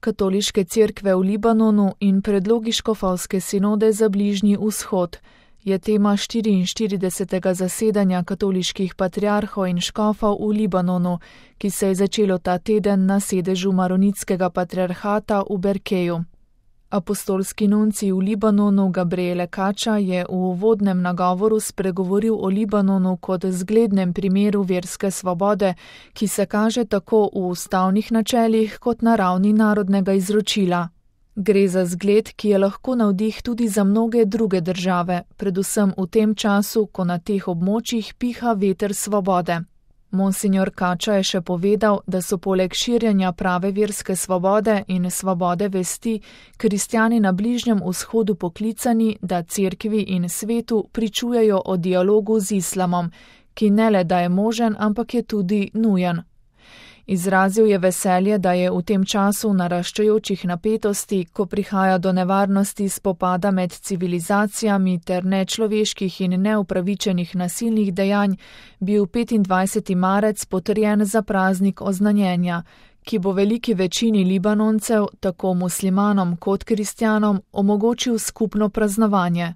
Katoliške cerkve v Libanonu in predlogi škofovske sinode za Bližnji vzhod je tema 44. zasedanja katoliških patriarhov in škofov v Libanonu, ki se je začelo ta teden na sedežu maronitskega patriarhata v Berkeju. Apostolski nuncij v Libanonu Gabriele Kača je v uvodnem nagovoru spregovoril o Libanonu kot zglednem primeru verske svobode, ki se kaže tako v ustavnih načelih kot na ravni narodnega izročila. Gre za zgled, ki je lahko navdih tudi za mnoge druge države, predvsem v tem času, ko na teh območjih piha veter svobode. Monsignor Kača je še povedal, da so poleg širjenja prave verske svobode in svobode vesti kristjani na Bližnjem vzhodu poklicani, da cerkvi in svetu pričujejo o dialogu z islamom, ki ne le da je možen, ampak je tudi nujen. Izrazil je veselje, da je v tem času naraščajočih napetosti, ko prihaja do nevarnosti spopada med civilizacijami ter nečloveških in neupravičenih nasilnih dejanj, bil 25. marec potrjen za praznik oznanjenja, ki bo veliki večini Libanoncev, tako muslimanom kot kristjanom, omogočil skupno praznovanje.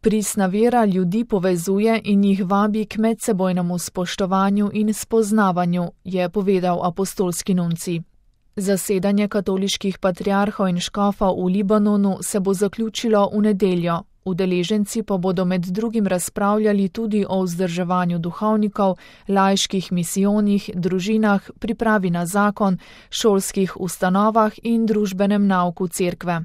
Pristna vera ljudi povezuje in jih vabi k medsebojnemu spoštovanju in spoznavanju, je povedal apostolski nuncij. Zasedanje katoliških patriarhov in škofov v Libanonu se bo zaključilo v nedeljo. Udeleženci pa bodo med drugim razpravljali tudi o vzdrževanju duhovnikov, laiških misijonih, družinah, pripravi na zakon, šolskih ustanovah in družbenem nauku cerkve.